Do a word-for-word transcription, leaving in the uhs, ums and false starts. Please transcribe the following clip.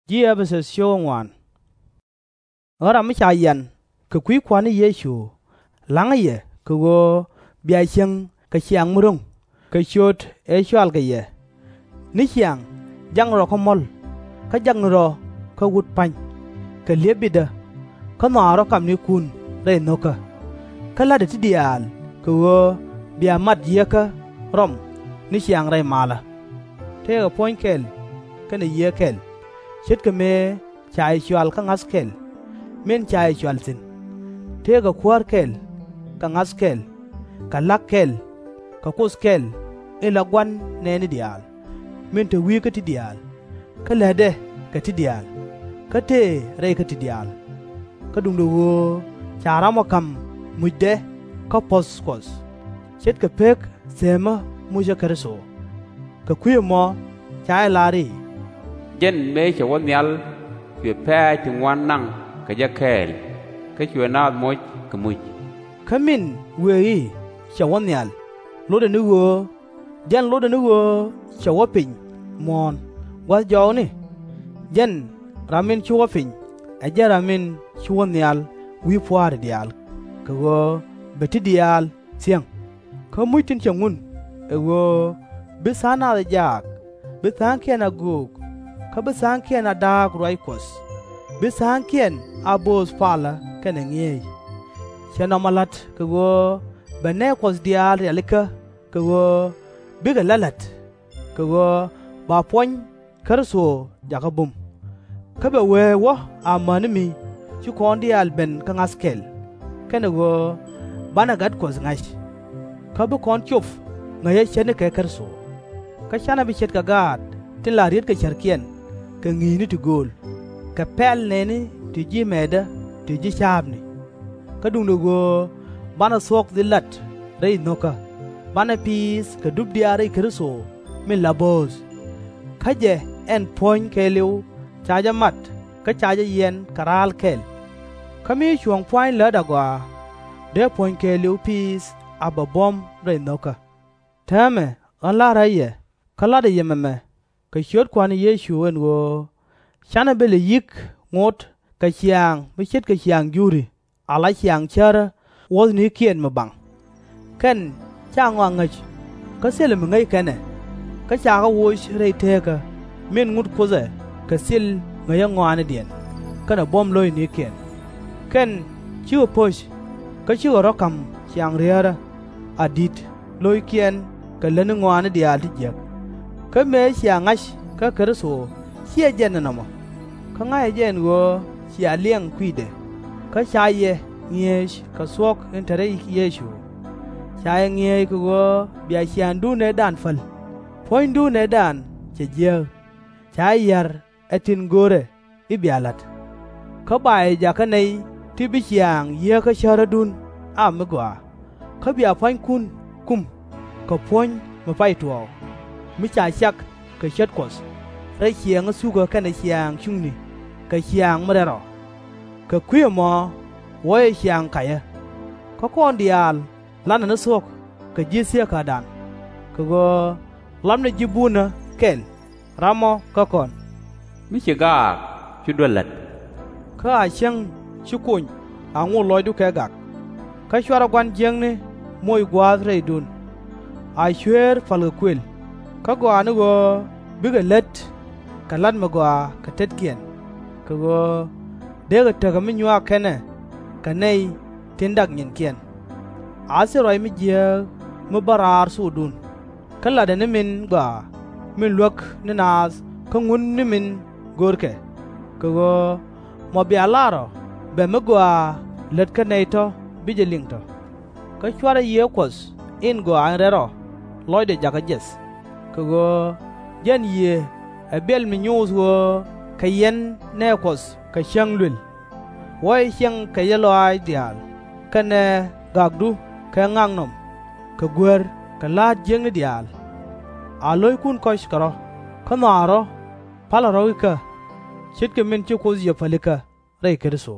Ji̱ Ɛ-pɛ-thäth cio̱k ŋuaan. Ɣän ram mi ca yian kɛ kui̱ Kua̱r ni Yecu, la̱ŋä yɛ kɛ ɣöö bia cieŋ kɛ ciaŋ mi ro̱ŋ, kɛ ciöt ëë cɔalkɛ yɛ. Ni ciaŋ jakni rɔ kä muɔ̱l, kä jakni rɔ kä wut pa̱ny, kɛ li̱ep bitdä, kä nhɔakɛ rɔ kamnikun rɛy nho̱kä. Kä la̱tdɛ ti diaal kɛ ɣöö bia mat Yieekä rɔm ni ciaŋ rɛy malä. Tëëkɛ puɔ̱ny kɛl kɛnɛ Yiëë kɛl, ce̱tkɛ mëë ca yɛ cɔal kä ŋa̱th kɛl min ca yɛ cɔal thi̱n. Tëëkɛ kuäär kɛl, kɛ ŋa̱th kɛl, kɛ la̱k kɛl, kɛ Kuoth kɛl in la Gua̱n nɛɛni diaal, min te wi̱i̱ kä ti diaal, kä lätdɛ kɛ ti diaal, kä tëë rɛy kä ti diaal. Kä duundɛ ɣöö ca ramɔ ka̱m mucdɛ kä puɔ̱th Kuɔth, ce̱tkɛ pek theemä mucä Kritho. Kɛ kui̱ ɛmɔ ca jɛ lar i̱, Jɛn mëë cɛ wä nhial, cuɛ pɛ̈ɛ̈c ti ŋuan naŋ kɛ jɛ kɛɛl, kä cuɛ naath moc kɛ muc. Kä min wëë i̱, Cɛ wä nhial, lotdɛ ni ɣöö jɛn lotdɛ ni ɣöö cɛ wä piny muɔ̱ɔ̱n gua̱th jɔɔkni? Jɛn ram in ci wä piny ɛ jɛn ram in ci wä nhial wi̱i̱ pua̱a̱ri diaal, kɛ ɣöö bɛ ti diaal thiäŋ. Kä muc tin cɛ ŋun ɛ ɣöö bi tha̱a̱ŋ nath ɛ jaak, bi tha̱a̱ŋkiɛn a göök, kä bi tha̱a̱ŋkiɛn a da̱a̱k ruac Kuɔth, bi tha̱a̱ŋkiɛn a bööth palä kɛnɛ ŋi̱eec. Cɛ nɔmɔ la̱t kɛ ɣöö bɛ nɛɛ Kuɔth diaal rialikä kɛ ɣöö bikɛ la̱t la̱t, kɛ ɣöö ba puɔ̱ny Kritho jakä bum. Kä bɛ wee wä amäni mi ci kɔn diaal ben kä ŋa̱th kɛl, kɛnɛ ɣöö banɛ Gat Kuɔth ŋa̱c. Kä bi kɔn cop ŋäcä ce̱tnikɛ Kritho. Kä /canɛ bi ce̱tkɛ gaat tin la rietkɛ cärkiɛn kɛ ŋi̱i̱cni ti gööl, kɛ pɛl nɛɛni ti ji̱ mɛɛtdä ti ji̱ ca̱a̱pni. Kä duundɛ ɣöö banɛ thuɔ̱k dhil lat rɛy nho̱kä, banɛ piith kɛ dup diaal rɛy Kritho min la bööth. Kä jɛ ɛn puɔ̱ny kɛɛliw ca jɛ mat kä ca jɛ yiɛn kɛ ra̱a̱l kɛl. Kä mi cuɔ̱ɔ̱ŋ pua̱ny lät agɔaa, dee puɔ̱ny kɛɛliw piith a bɛ buɔ̱m rɛy nho̱kä. Täämɛ ɣän la̱rä yɛ kä la̱tdä yɛ mɛmɛ kɛ ciöt Kua̱r ni Yecu ɛn ɣöö /canɛ bi lɛ yi̱k ŋot kɛ ciaŋ mi ce̱tkɛ ciaŋ Juri, ala ciaŋ cärä wuɔ̱thnikiɛn mi baŋ. Kɛn /ca ŋɔak ŋäc, kä thilɛ mi ŋäc kɛn ɛ, kä cakɛ woc rɛy teekä min ŋut Kuoth ɛ kɛ thil ŋäcä ŋɔaanidiɛn kɛnɛ buɔ̱m lo̱cnikiɛn. Kɛn cikɛ po̱c, kä cikɛ rɔ̱ ka̱m ciaŋ riärä, a di̱t lo̱ckiɛn kɛ lätni ŋɔaani diaal ti jiäk. Kä mëë cia ŋa̱c kä Kritho /ciɛ jɛn ɛnɔmɔ, kä ŋa̱cä jɛ ɛn ɣöö cia liɛŋ kui̱dɛ, kä ca yɛ ŋi̱eec kɛ thuɔ̱k in te rɛy Yecu. Ca yɛ ŋi̱eec kɛ ɣöö bia ciaaŋdun ëëdan päl, puɔ̱nydun ëëdan cɛ jiääk. Ca yɛ ya̱r ɛ tin görɛ i̱ bia la̱t. Kä ba yɛ jakä nɛy ti bi ciaŋ Yieekä cärädun a mi gɔaa, kä bia pua̱nykun kum kɛ puɔ̱ny mi pay tuɔɔk, mi ca cak kɛ cät Kuɔth rɛy ciɛɛŋä thukä kɛnɛ ciaaŋ cuŋni kɛ ciaŋ mi rɛl rɔ. Kɛ kui̱ ɛmɔ wuɔcɛ ciaŋ kacä. Kä kɔn diaal la̱tnɛ ni thuɔ̱k kɛ ji̱ thieekädan, kɛ ɣöö lapnɛ ji̱ bunä kɛl ramɔ kä kɔn. Mi ci gaak, /cu duer la̱t. Kä a cäŋ ci kony a ŋot lɔcdu kɛ gak. Kä /cuarɛ gua̱n jiäkni moc gua̱a̱th rɛydun. A cueer pa̱lkɛ kuël, kä gɔaa ni ɣöö bikɛ lät kɛ la̱t mi gɔaa kɛ tetkiɛn, kɛ ɣöö deekɛ tekɛ mi nyuak kɛn ɛ kɛ nɛy tin dak nyinkiɛn. A thil ruac mi jiääk mi bä raar thokdun, kä latdɛ ni min gɔaa min luäk ni naath kä ŋun ni min görkɛ, kɛ ɣöö mɔ bia lar ɔ bɛ mi gɔaa lät kä nɛy tɔ̱ bi jɛ liŋ tɔ̱. Kä /cuarɛ Yiëë Kuɔth in gɔaa in rɛl rɔ lɔcdɛ jakä jiɛth, kɛ ɣöö jɛn Yiëë ɛ biɛl mi nyoth ɣöö kɛ yɛn nɛɛ Kuɔth kɛ cäŋ luël. Wuɔcɛ ciɛŋ kɛ jɛ lɔaac diaal kɛnɛ gakdu kɛ ŋaknɔm, kɛ guer kɛ la̱a̱t jiäkni diaal. A lo̱ckun kɔ̱c kɛ rɔ̱, kä nhɔakɛ rɔ̱ pa̱lɛ rɔ̱ ikä, ce̱tkɛ min ci Kuoth yɛ pälikä rɛy Kritho.